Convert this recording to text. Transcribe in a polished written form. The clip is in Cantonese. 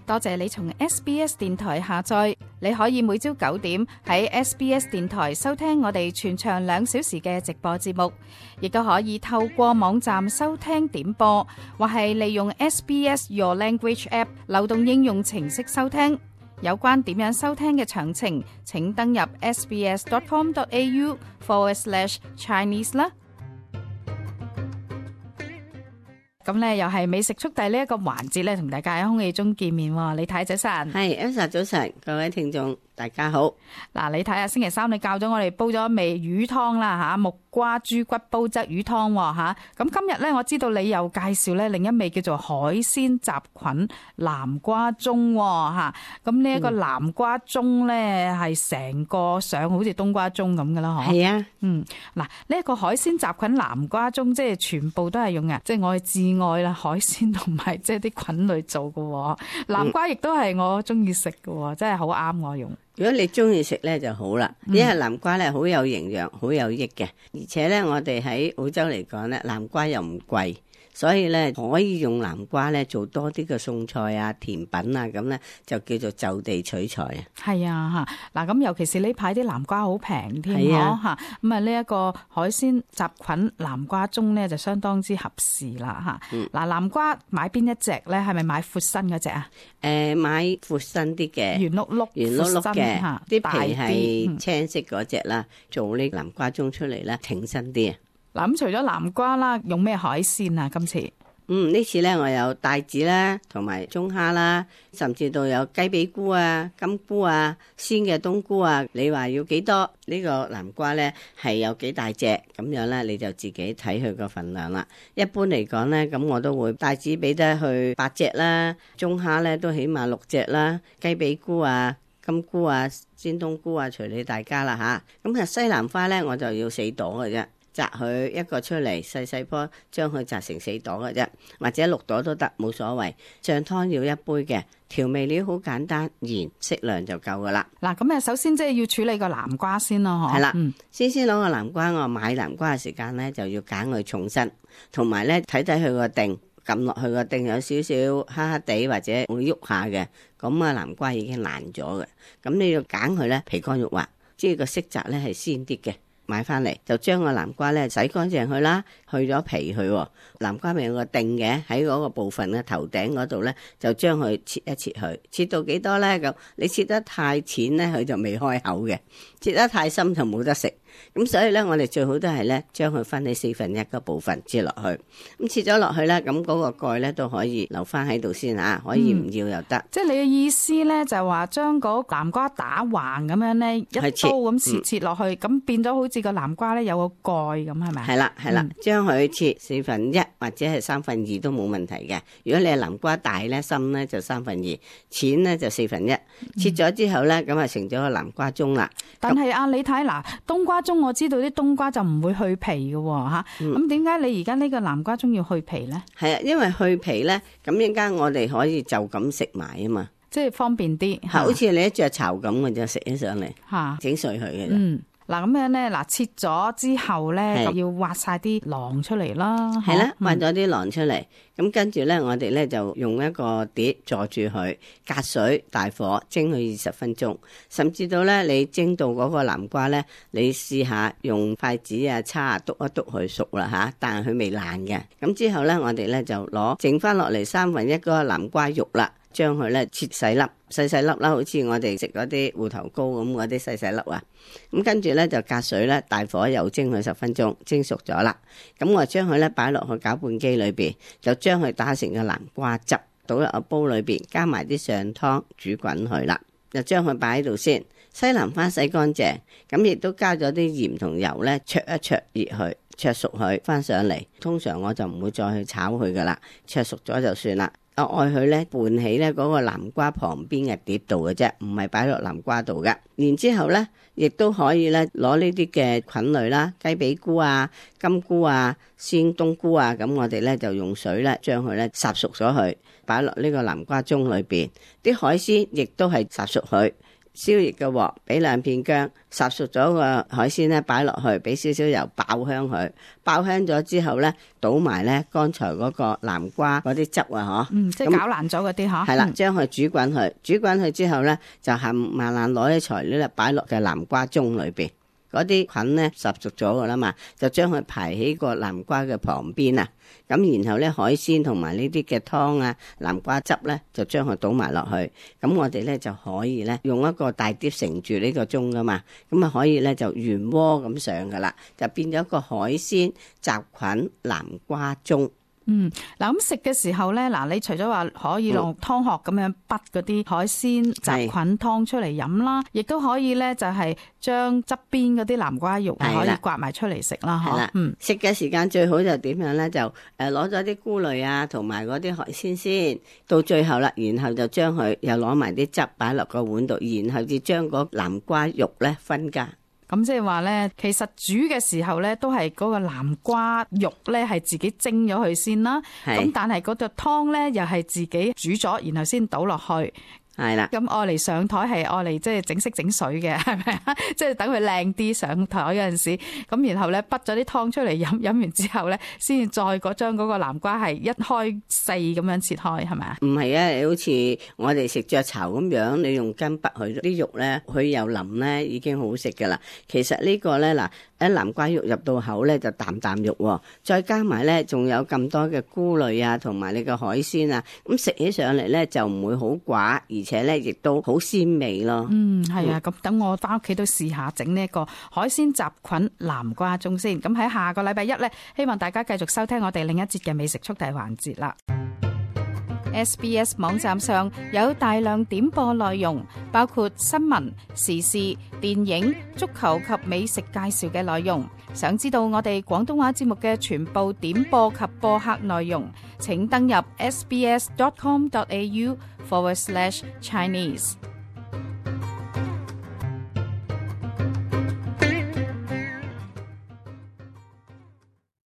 多謝你從 SBS 電台下載，你可以每朝9點喺 SBS 電台收聽我哋全長2小時嘅直播節目，亦都可以透過網站收聽點播，或係利用 SBS Your Language App 流動應用程式收聽。有關點樣收聽嘅詳情，請登入 sbs.com.au/Chinese 啦。咁咧又係美食速遞呢一個環節咧，同大家喺空氣中見面喎。李太早晨，係 Elsa 早晨，各位聽眾大家好。嗱，你睇下星期三你教咗我哋煲咗味魚湯啦吓，木瓜豬骨煲汁魚湯吓。咁今日咧，我知道你又介紹咧另一味叫做海鮮雜菌南瓜盅吓。咁呢一個南瓜盅咧係成個上好似冬瓜盅咁噶啦，嗬？係啊，嗱，呢一個海鮮雜菌南瓜盅，即係全部都係用嘅，即係我至愛啦，海鮮同埋即係啲菌類做嘅。南瓜亦都係我中意食嘅，真係好啱我用。如果你中意食咧就好啦，因為南瓜咧好有營養，好有益嘅，而且咧我哋喺澳洲嚟講咧，南瓜又唔貴。所以咧可以用南瓜咧做多啲嘅餸菜啊、甜品啊，咁咧就叫做就地取材啊。係啊，嗱咁尤其是呢排啲南瓜好平添，嗬嚇。咁啊呢一個海鮮雜菌南瓜盅咧就相當之合時啦嚇。嗱，南瓜買邊一隻咧？係咪買闊身嗰隻啊？買闊身啲嘅，圓碌碌嘅，啲皮係青色嗰隻啦。做呢南瓜盅出嚟咧，挺身啲啊！嗱，咁除咗南瓜啦，用咩海鮮啊？今次呢次咧我有帶子啦，同埋中蝦啦，甚至到有雞髀菇啊、金菇啊、鮮嘅冬菇啊。你話要幾多？呢個南瓜咧係有幾大隻咁樣咧，你就自己睇佢個份量啦。一般嚟講咧，咁我都會帶子俾得去8隻啦，中蝦咧都起碼6隻啦，雞髀菇啊、金菇啊、鮮冬菇啊，隨你大家啦吓。咁西蘭花咧我就要4朵嘅啫。摘佢一個出嚟，細細棵，將佢摘成4朵嘅啫，或者6朵都得，冇所謂。醬湯要1杯嘅，調味料好簡單，鹽適量就夠噶啦。嗱，咁首先即係要處理個南瓜先咯，嗬。係啦，先攞個南瓜，我買南瓜嘅時間咧就要揀佢重身，同埋咧睇睇佢個頂，撳落去個頂有少少黑黑地或者會喐下嘅，咁啊南瓜已經爛咗嘅。咁你要揀佢咧皮乾肉滑，即係個色澤咧係鮮啲嘅。買翻嚟就將個南瓜咧洗乾淨佢啦，去咗皮佢。南瓜咪有個頂嘅，喺嗰個部分嘅頭頂嗰度咧，就將佢切一切佢。切到幾多咧？咁你切得太淺咧，佢就未開口嘅；切得太深就冇得食。咁所以咧，我哋最好都係咧，將佢分喺1/4個部分切落去。咁切咗落去咧，咁嗰個蓋咧都可以留翻喺度先啊，可以唔要又得。即係你嘅意思咧，就係話將嗰南瓜打橫咁樣咧，一刀咁切落去，咁變咗好似個南瓜咧有個蓋咁，係咪？係啦，將佢切1/4或者係2/3都冇問題嘅。如果你係南瓜大咧、深咧就2/3，淺咧就1/4。切咗之後咧，咁啊成咗個南瓜盅啦。但係你睇嗱，冬瓜盅我知道啲冬瓜就唔會去皮嘅吓，咁點解你而家呢個南瓜盅要去皮咧？係啊，因為去皮咧，咁陣間我哋可以就咁食埋啊嘛，即係方便啲，好似你一隻巢咁嘅就食起上嚟，整碎佢嘅啫。嗱咁樣咧，切咗之後咧，就要挖晒啲囊出嚟啦。係啦，挖咗啲囊出嚟，咁跟住咧，我哋咧就用一個碟坐住佢，隔水大火蒸佢20分鐘，甚至到咧你蒸到嗰個南瓜咧，你試下用筷子啊叉啊篤一篤佢熟啦吓，但係佢未爛嘅。咁之後咧，我哋咧就攞剩翻落嚟1/3嗰個南瓜肉啦。將佢咧切細粒，細細粒啦，好似我哋食嗰啲芋頭糕咁嗰啲細細粒啊。咁跟住咧就隔水咧，大火又蒸佢10分鐘，蒸熟咗啦。咁我將佢咧擺落去攪拌機裏邊，就將佢打成個南瓜汁，倒入個煲裏邊，加埋啲上湯煮滾佢啦。就將佢擺喺度先。西蘭花洗乾淨，咁亦都加咗啲鹽同油咧，灼一灼熱佢，灼熟佢翻上嚟。通常我就唔會再去炒佢噶啦，灼熟咗就算啦。我愛佢咧拌起咧嗰個南瓜旁邊嘅碟度嘅啫，唔係擺落南瓜度嘅。然之後咧，亦都可以咧攞呢啲嘅菌類啦，雞髀菇啊、金菇啊、鮮冬菇啊，咁我哋咧就用水咧將佢咧烚熟咗佢，擺落呢個南瓜盅裏邊。啲海鮮亦都係烚熟佢，燒熱嘅鑊，俾2片薑，烚熟咗個海鮮咧擺落去，俾少少油爆香佢，爆香咗之後咧，倒埋咧剛才嗰個南瓜嗰啲汁啊，即係攪爛咗嗰啲係啦，將佢煮滾佢，煮滾佢之後咧，就慢慢攞啲材料咧擺落嘅南瓜盅裏邊。嗰啲菌咧烚熟咗噶啦嘛，就將佢排喺個南瓜嘅旁邊啊。咁然後咧海鮮同埋呢啲嘅湯啊、南瓜汁咧，就將佢倒埋落去。咁我哋咧就可以咧用一個大碟盛住呢個盅噶嘛，咁啊可以咧就原鍋咁上噶啦，就變咗個海鮮雜菌南瓜盅。嗱咁食嘅時候咧，嗱你除咗話可以用湯殼咁樣滗嗰啲海鮮雜菌湯出嚟飲啦，亦都可以咧就係將側邊嗰啲南瓜肉可以刮埋出嚟食啦，嗬。食嘅時間最好就點樣咧？就攞咗啲菇類啊，同埋嗰啲海鮮先，到最後啦，然後就將佢又攞埋啲汁擺落個碗度，然後至將嗰南瓜肉咧分家。咁即係話咧，其實煮嘅時候咧，都係嗰個南瓜肉咧係自己蒸咗佢先啦。咁但係嗰個湯咧又係自己煮咗，然後先倒落去。係啦，咁愛嚟上台係愛嚟即係整色整水嘅，係咪啊？即係等佢靚啲上台嗰陣時，咁然後咧滗咗啲湯出嚟飲，飲完之後咧，先至再將嗰個南瓜係一開4咁樣切開，係咪啊？唔係啊，你好似我哋食雀巢咁樣，你用羹滗佢啲肉咧，佢又腍咧，已經好食噶啦。其實呢個咧嗱，一南瓜肉入到口咧就啖啖肉，再加埋咧仲有咁多嘅菇類啊，同埋你個海鮮啊，咁食起上嚟咧就唔會好寡，而且咧亦都好鮮味咯。係啊，咁等我翻屋企都試下整呢一個海鮮雜菌南瓜盅先。咁喺下個禮拜1咧，希望大家繼續收聽我哋另一節嘅美食速遞環節啦。SBS 網站上有大量點播內容，包括新聞、時事、電影、足球及美食介紹嘅內容。想知道我哋廣東話節目嘅全部點播及播客內容，請登入sbs.com.au/Chinese。